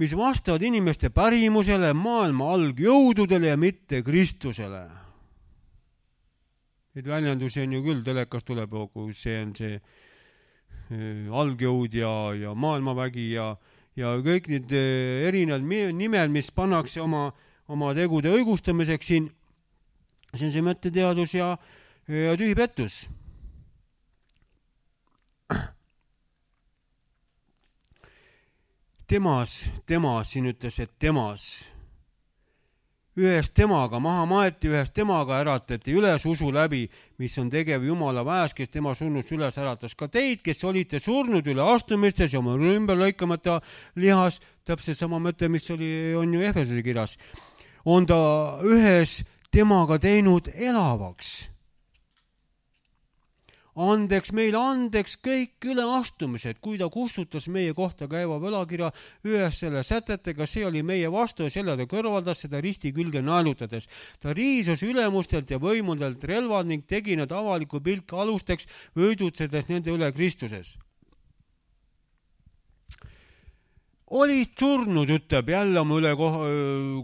Mis vastavad inimeste pärimusele, maailma algjõududele ja mitte Kristusele. Neid väljendusi on ju küll, telekas tuleb, kui see on see algjõud ja maailmavägi ja kõik need erinevad nimed, mis pannakse oma tegude õigustamiseks siin, see on see mõtteteadus ja tühi pettus. Temas, siin ütles, et temas. Ühes temaga maha maeti, ühes temaga äratati üles usu läbi, mis on tegev Jumala väes, kes tema surnust üles äratas. Ka teid, kes olite surnud üle astumistes ja oma ümber lõikamata lihas, täpselt sama mõte, mis on ju Efesuse kirjas, on ta ühes temaga teinud elavaks. Meile andeks kõik üleastumised, kui ta kustutas meie kohta käiva võlakirja ühes selle sätetega, see oli meie vastu ja selle ta kõrvaldas seda risti külge naelutades. Ta riisus ülemustelt ja võimudelt relvad ning tegi nad avaliku pilk alusteks, võidutsedes nende üle Kristuses. Olid surnud, ütleb jälle oma üle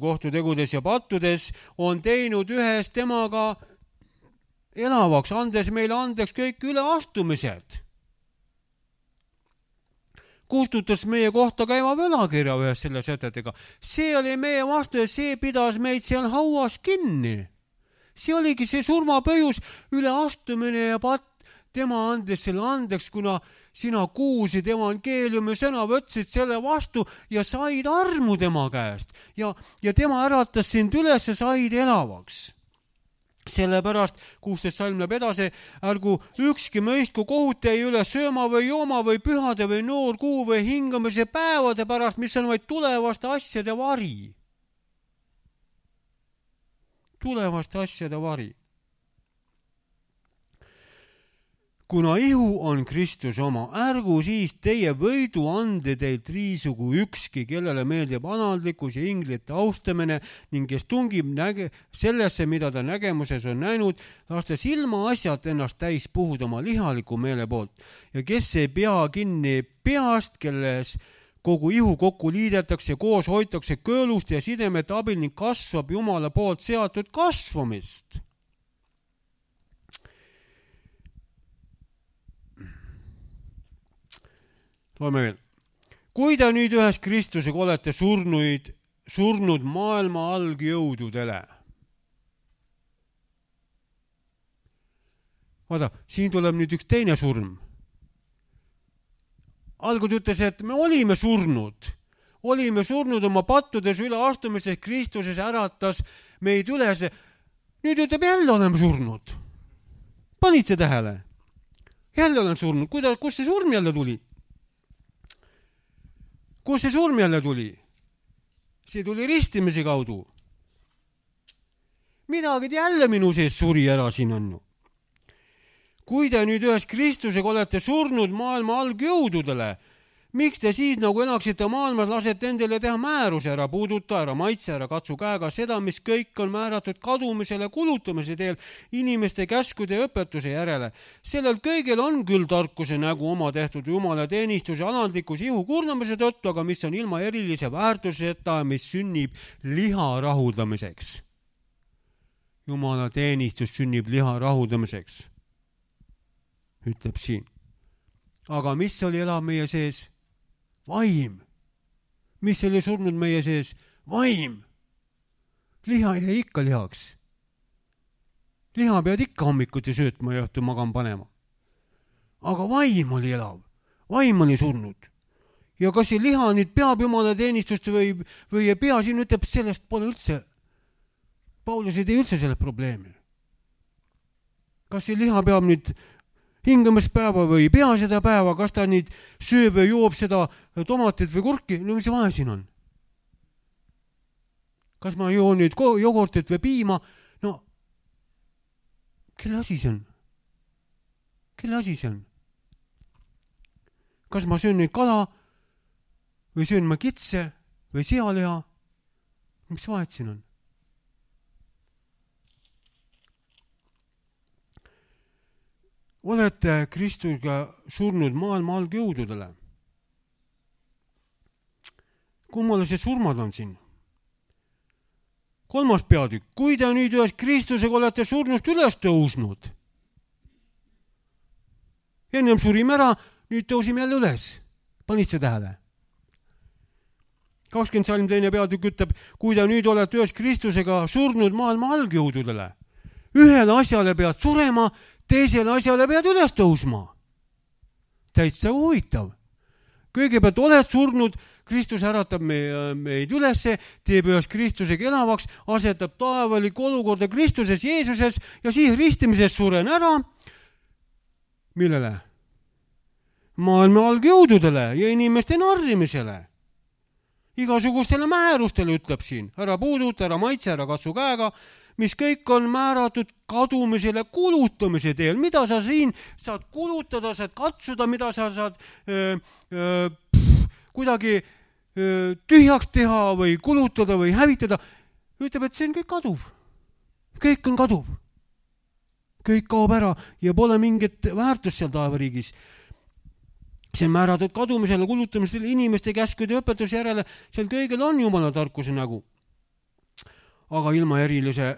kohtutegudes ja pattudes, on teinud ühes temaga elavaks, andes meile andeks kõik üleastumised. Kustutas meie kohta käiva võlakirja ühes selle sätetega. See oli meie vastu ja see pidas meid seal hauas kinni. See oligi see surmapõhjus, üleastumine ja patt. Tema andes selle andeks, kuna sina kuulsid evangeeliumi sõna, võtsid selle vastu ja said armu tema käest. Ja tema äratas sind üles ja said elavaks. Sellepärast 16 salm läheb edasi, ärgu ükski mõistku kohut ei üle sööma või jooma või pühade või noorkuu või hingamise päevade pärast, mis on vaid tulevaste asjade vari. Tulevaste asjade vari. kuna ihu on Kristuse oma, ärgu siis teie võidu ande teilt riisugu ükski, kellele meeldib analdlikkus ja inglite austamine ning kes tungib sellesse, mida ta nägemuses on näinud, lastes ilma asjalt ennast täis puhuda oma lihaliku meele poolt ja kes ei pea kinni peast, kelles kogu ihu kokku liidetakse, koos hoitakse köölust ja sidemete abil ning kasvab Jumala poolt seatud kasvamist. Loeme veel. Kui te nüüd ühes Kristusega olete surnud maailma algjõududele. Vaata, siin tuleb nüüd üks teine surm. Algul ütles, et me olime surnud oma pattudes üle astumises, Kristuses äratas meid üles. Nüüd ütleb, jälle oleme surnud. Panid see tähele? Jälle olen surnud. Kus see surm jälle tuli? Kus see surm jälle tuli? See tuli ristimise kaudu. Midagi jälle minu sees suri ära siin on. Kui te nüüd ühes Kristusega olete surnud maailma algjõududele, miks te siis nagu elaksite maailmas, lasete endale teha määruse, ära puuduta, ära maitse, ära katsu käega seda, mis kõik on määratud kadumisele kulutamise teel inimeste käskude ja õpetuse järele. Sellel kõigel on küll tarkuse nägu oma tehtud Jumala teenistuse alandlikus ihu kurnamise tõttu, aga mis on ilma erilise väärtuseta, mis sünnib liha rahuldamiseks. Jumala teenistus sünnib liha rahuldamiseks, ütleb siin. Aga mis oli elav meie sees? Vaim. Mis oli surnud meie sees? Vaim. Liha jäi ikka lihaks. Liha pead ikka hommikuti söötma ja õhtu magama panema. Aga vaim oli elav. Vaim oli surnud. Ja kas see liha nüüd peab Jumala teenistust või ei pea, siin ütleb, sellest pole üldse. Paulus ei tee üldse selle probleemi. Kas see liha peab nüüd hingamispäeva või ei pea seda päeva, kas ta nüüd sööb või joob seda tomatit või kurki, no mis vahe siin on? Kas ma joon nüüd jogurtit või piima? No, kelle asi see on? Kelle asi see on? Kas ma söön nüüd kala või söön ma kitse või sealiha? Mis vahet siin on? Olete Kristusega surnud maailma algjõududele. Kummale see surmad on siin? 3. peatükk. Kui te nüüd ühes Kristusega olete surnust üles tõusnud. Ennem surime ära, nüüd tõusime jälle üles. Panid see tähele? 20. salm 2. peatükk ütleb, kui te nüüd olete ühes Kristusega surnud maailma algjõududele. Ühele asjale pead surema, teisele asjale pead üles tõusma. Täitsa huvitav. Kõigepealt oled surnud, Kristus äratab meid ülesse, teeb ühes Kristusega elavaks, asetab taevaliku olukorda Kristuses, Jeesuses ja siis ristimises suren ära. Millele? Maailma algjõududele ja inimeste narrimisele. Igasugustele määrustele ütleb siin. Ära puuduta, ära maitse, ära katsu käega, mis kõik on määratud kadumisele kulutamise teel. Mida sa siin saad kulutada, saad katsuda, mida sa saad kuidagi tühjaks teha või kulutada või hävitada. Ütleb, et see on kõik kaduv. Kõik on kaduv. Kõik kaob ära ja pole mingit väärtust seal taevariigis. See on määratud kadumisele kulutamisele inimeste käskude ja õpetuse järele. Seal kõigil on Jumala tarkuse nägu. Aga ilma erilise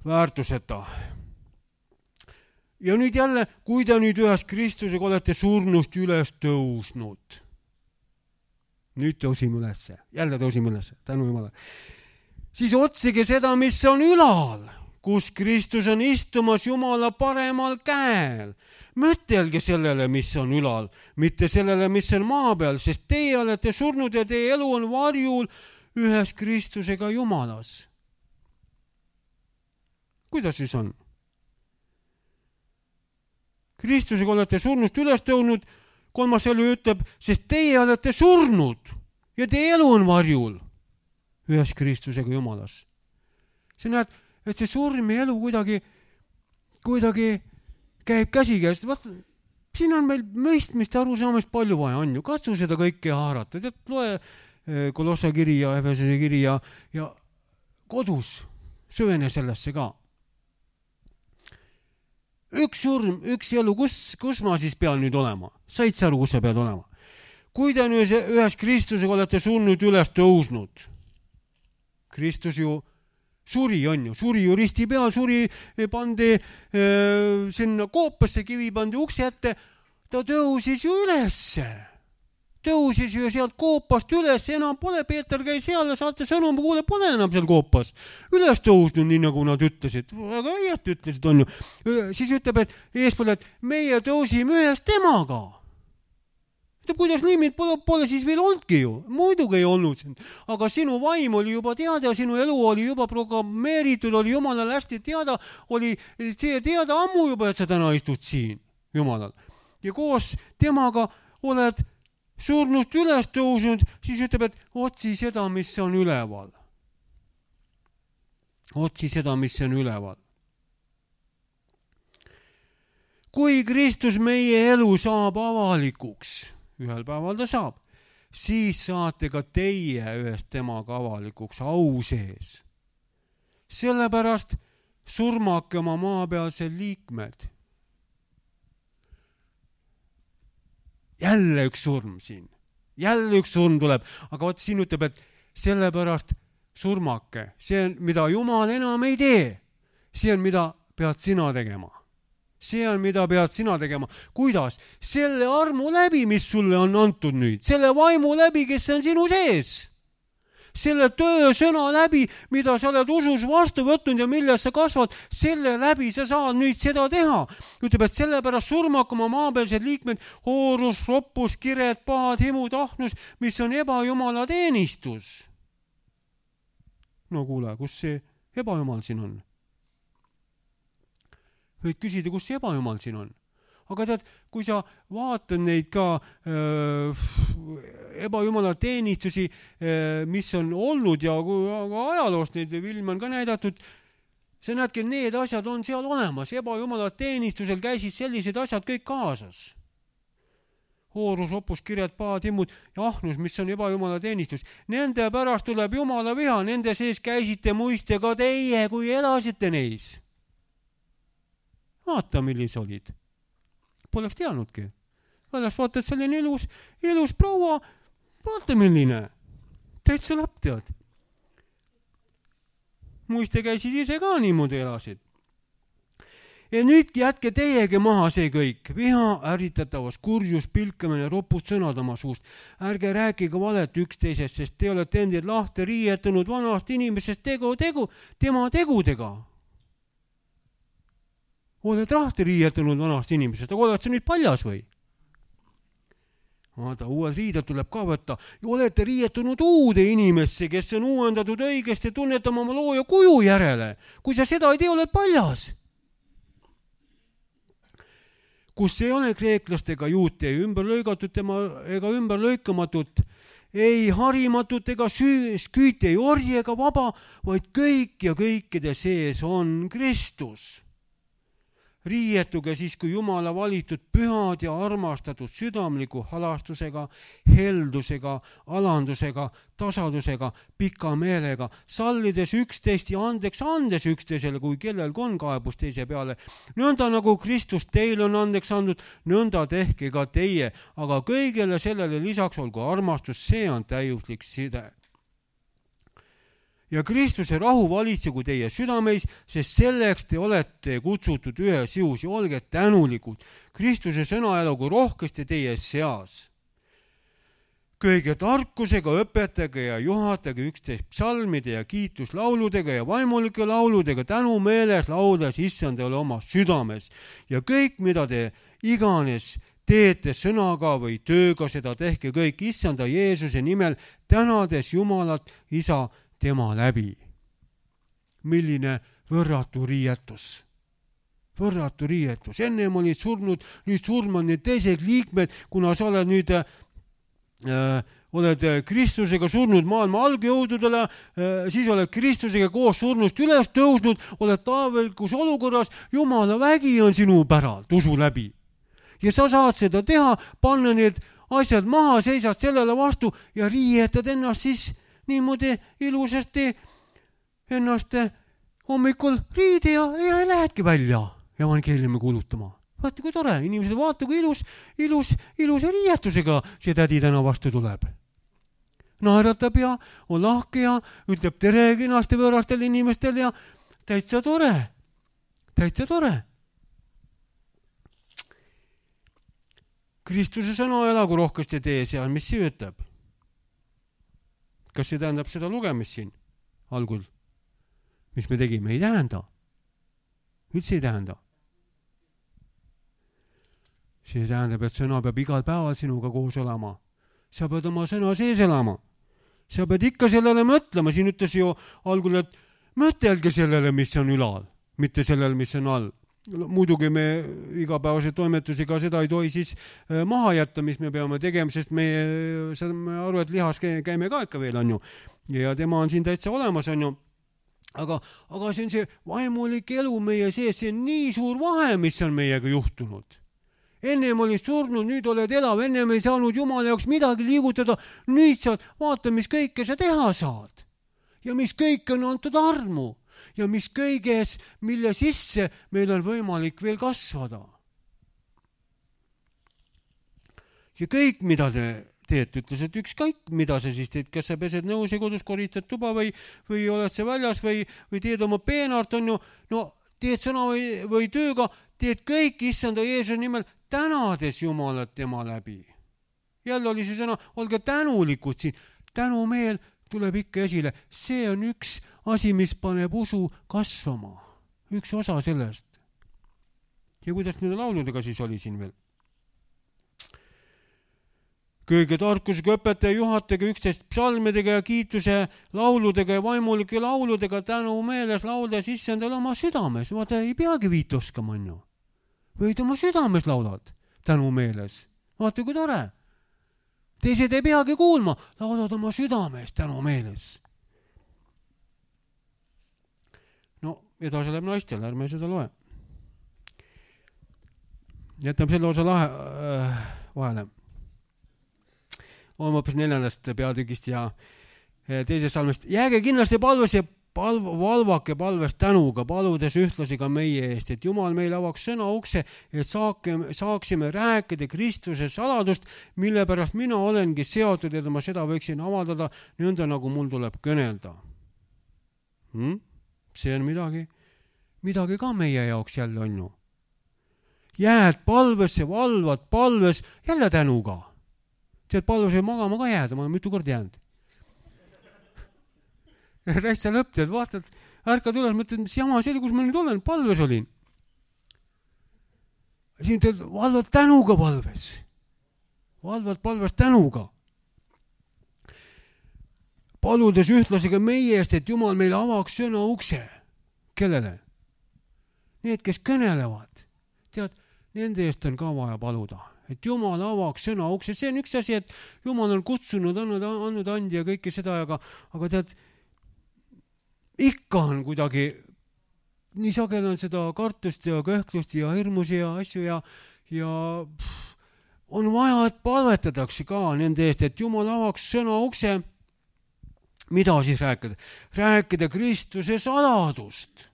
väärtuseta. Ja nüüd jälle, kui te nüüd ühes Kristusega olete surnust üles tõusnud. Nüüd tõusime üles. Jälle tõusime üles. Tänu Jumala. Siis otsige seda, mis on ülal, kus Kristus on istumas Jumala paremal käel. Mõtelge sellele, mis on ülal, mitte sellele, mis on maa peal, sest teie olete surnud ja teie elu on varjul ühes Kristusega Jumalas. Kuidas siis on? Kristusega olete surnust üles tõusnud, 3. salm ütleb, sest teie olete surnud ja teie elu on varjul ühes Kristusega Jumalas. Sa näed, et see surm ja elu kuidagi käib käsikäest, siin on meil mõistmist ja arusaamist palju vaja on ju, katsu seda kõike haarata, tead, loe Kolossa kiri ja Efesuse kiri ja kodus süvene sellesse ka. Üks surm, üks elu, kus ma siis pean nüüd olema? Said sa aru, kus sa pead olema? Kui te nüüd ühes Kristusega olete surnud üles tõusnud, Kristus ju suri on ju, suri ju risti peal, suri pandi sinna koopasse, kivi pandi ukse ette, ta tõusis ju ülesse. Tõusis ju sealt koopast üles, enam pole, Peeter käis seal ja saate sõnum, kuule, pole enam seal koopas. Üles tõusnud, nii nagu nad ütlesid. Väga õieti ütlesid, on ju. Siis ütleb, et eespool, et meie tõusime ühes temaga. Kuidas niimid pole siis veel oldki ju. Muidugi ei olnud siin. Aga sinu vaim oli juba teada, sinu elu oli juba programmeeritud, oli Jumalal hästi teada, oli see teada ammu juba, et sa täna istud siin Jumalal. Ja koos temaga oled surnust üles tõusnud, siis ütleb, et otsi seda, mis on üleval. Otsi seda, mis on üleval. Kui Kristus meie elu saab avalikuks, ühel päeval ta saab, siis saate ka teie ühest temaga avalikuks au sees. Sellepärast surmake oma maapealsed liikmed. Jälle üks surm siin. Jälle üks surm tuleb. Aga vaat siin ütleb, et sellepärast surmake. See on, mida Jumal enam ei tee. See on, mida pead sina tegema. See on, mida pead sina tegema. Kuidas? Selle armu läbi, mis sulle on antud nüüd. Selle vaimu läbi, kes on sinu sees. Selle töö sõna läbi, mida sa oled usus vastu võtnud ja milles sa kasvad, selle läbi sa saad nüüd seda teha. Ütleb, et sellepärast surmak oma maapealsed liikmed, hoorus, roppus, kired, pahad, himu, tahnus, mis on ebajumala teenistus. No kuule, kus see ebajumal siin on? Võid küsida, kus see ebajumal siin on? Aga tead, kui sa vaatad neid ka ebajumala teenistusi, mis on olnud ja ajaloost neid filme on ka näidatud, sa näedki, need asjad on seal olemas. Ebajumala teenistusel käisid sellised asjad kõik kaasas. Hoorus, opus, kirjad, paad, himmud ja ahnus, mis on ebajumala teenistus. Nende pärast tuleb Jumala viha, nende sees käisite muiste ka teie, kui elasite neis. Vaata, millis olid. Poleks teadnudki. Väljas vaatad selline ilus proua, vaata milline. Täitsa lapp tead. Muiste käisid ise ka niimoodi elasid. Ja nüüd jätke teiegi maha see kõik. Viha, ärritatavas, kurjus, pilkamine, ropud sõnad oma suust. Ärge rääkige valet üksteisest, sest te olete endid lahti riietunud vanast inimesest tema tegudega. Oled rahti riietunud vanast inimesest, aga oled sa nüüd paljas või? Vaata, uued riided tuleb ka võtta. Ja olete riietunud uude inimesse, kes on uuendatud õigesti ja tunnetama oma looja kuju järele. Kui sa seda ei tee, oled paljas. Kus ei ole kreeklast ega juute, ümber lõigatud ega ümber lõikamatut, ei harimatut ega sküüte, ei orji ega vaba, vaid kõik ja kõikide sees on Kristus. Riietuge siis, kui Jumala valitud pühad ja armastatud südamliku halastusega, heldusega, alandusega, tasadusega, pika meelega, sallides üksteist ja andes üksteisele, kui kellelgi on kaebus teise peale. Nõnda nagu Kristus teile on andeks andnud, nõnda tehke ka teie, aga kõigele sellele lisaks olgu armastus, see on täiuslik side. Ja Kristuse rahu valitsegu teie südameis, sest selleks te olete kutsutud ühes jõus ja olge tänulikud. Kristuse sõna elagu rohkesti teie seas. Kõige tarkusega õpetage ja juhatage üksteist psalmide ja kiituslauludega ja vaimulike lauludega tänumeeles laudes issandale oma südames. Ja kõik, mida te iganes teete sõnaga või tööga, seda tehke kõik issanda Jeesuse nimel, tänades Jumalat, Isa, tema läbi. Milline võrratu riietus. Võrratu riietus. Ennem olid surnud, nüüd surmad need teised liikmed, kuna sa oled nüüd oled Kristusega surnud maailma algjõududele, siis oled Kristusega koos surnust üles tõusnud, oled taevalikus olukorras, Jumala vägi on sinu päralt usu läbi. Ja sa saad seda teha, panna need asjad maha, seisad sellele vastu ja riietad ennast siis niimoodi ilusasti ennast hommikul riidi ja lähedki välja evangeeliumi kuulutama. Vaata, kui tore, inimesed vaata, kui ilus riietusega see tädi täna vastu tuleb. Naeratab ja on lahke ja ütleb tere kenasti võõrastel inimestel ja täitsa tore. Kristuse sõna elagu rohkesti tee seal, mis see ütleb? Kas see tähendab seda lugemist siin algul? Mis me tegime? Ei tähenda. Üldse ei tähenda. See tähendab, et sõna peab igal päeval sinuga koos olema. Sa pead oma sõna sees elama. Sa pead ikka sellele mõtlema. Siin ütles ju algul, et mõtelge sellele, mis on ülal, mitte sellele, mis on all. Muidugi me igapäevase toimetusega seda ei tohi siis maha jätta, mis me peame tegema, sest me saame aru, et lihas käime ka ikka veel, on ju. Ja tema on siin täitsa olemas, on ju. Aga see on see vaimulik elu meie sees, see on nii suur vahe, mis on meiega juhtunud. Ennem olid surnud, nüüd oled elav, ennem ei saanud Jumala jaoks midagi liigutada, nüüd saad vaata, mis kõike sa teha saad. Ja mis kõik on antud armu. Ja mis kõiges, mille sisse meil on võimalik veel kasvada. Ja kõik, mida te teed, ütles, et ükskõik, mida sa siis teed, kas sa pesed nõus ja kodus koristad tuba või oled sa väljas või teed oma peenart, on ju, no teed sõna või tööga, teed kõik issanda Jeesuse nimel, tänades Jumalat tema läbi. Jälle oli see sõna, olge tänulikud siin, tänumeel tuleb ikka esile. See on üks asi, mis paneb usu kasvama. Üks osa sellest. Ja kuidas nüüd lauludega siis oli siin veel? Kõige tarkusega õpetaja juhatajaga 11 psalmidega ja kiituse lauludega ja vaimulike lauludega tänu meeles lauldes issandale oma südames. Vaata, ei peagi viit oskama, on ju. Võid oma südames laulad tänu meeles. Vaata, kui tore. Teised ei peagi kuulma, laulad oma südames tänu meeles. No, edasi läheb naistel, ärme seda loe. Jätame selle osa vahele. On hoopis 4. peatükist ja 2. salmist. Jääge kindlasti palves ja valvake palves tänuga, paludes ühtlasi ka meie eest, et Jumal meile avaks sõna ukse, et saaksime rääkida Kristuse saladust, mille pärast mina olengi seotud, et ma seda võiksin avaldada nõnda, nagu mul tuleb kõnelda. See on midagi ka meie jaoks jälle on ju. Jääd palvesse, valvad palves, jälle tänuga. Tead, palves ei magama ka jääda, ma olen mitu kord jäänud. Täitsa lõpp, tead, vaatad, ärkad üles, mõtled, mis jama see oli, kus ma nüüd olen, palves olin. Siin tead, valvad tänuga palves. Valvad palves tänuga. Paludes ühtlasi ka meie eest, et Jumal meile avaks sõna ukse. Kellele? Need, kes kõnelevad. Tead, nende eest on ka vaja paluda. Et Jumal avaks sõna ukse. See on üks asi, et Jumal on kutsunud, andnud andi ja kõike seda, aga tead, ikka on kuidagi, nii sagel on seda kartust ja kõhklust ja hirmusi ja asju ja on vaja, et palvetatakse ka nende eest, et Jumal avaks sõna ukse. Mida siis rääkida? Rääkida Kristuse saladust.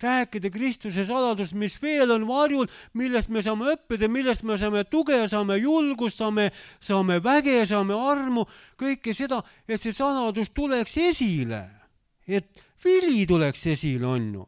Rääkida Kristuse saladust, mis veel on varjul, millest me saame õppida, millest me saame tuge, saame julgust, saame väge, saame armu, kõike seda, et see saladus tuleks esile. Et vili tuleks esile, on ju.